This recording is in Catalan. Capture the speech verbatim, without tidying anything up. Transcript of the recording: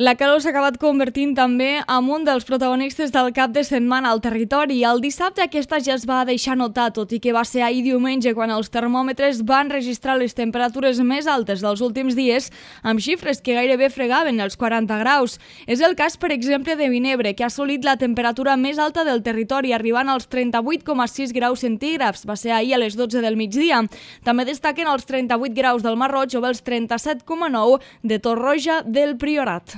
La calor s'ha acabat convertint també en un dels protagonistes del cap de setmana al territori. El dissabte aquesta ja es va deixar notar, tot i que va ser ahir diumenge quan els termòmetres van registrar les temperatures més altes dels últims dies, amb xifres que gairebé fregaven els quaranta graus. És el cas, per exemple, de Vinebre, que ha assolit la temperatura més alta del territori, arribant als trenta-vuit coma sis graus centígrads. Va ser ahir a les dotze del migdia. També destaquen els trenta-vuit graus del Mar Roig o els trenta-set coma nou de Torroja del Priorat.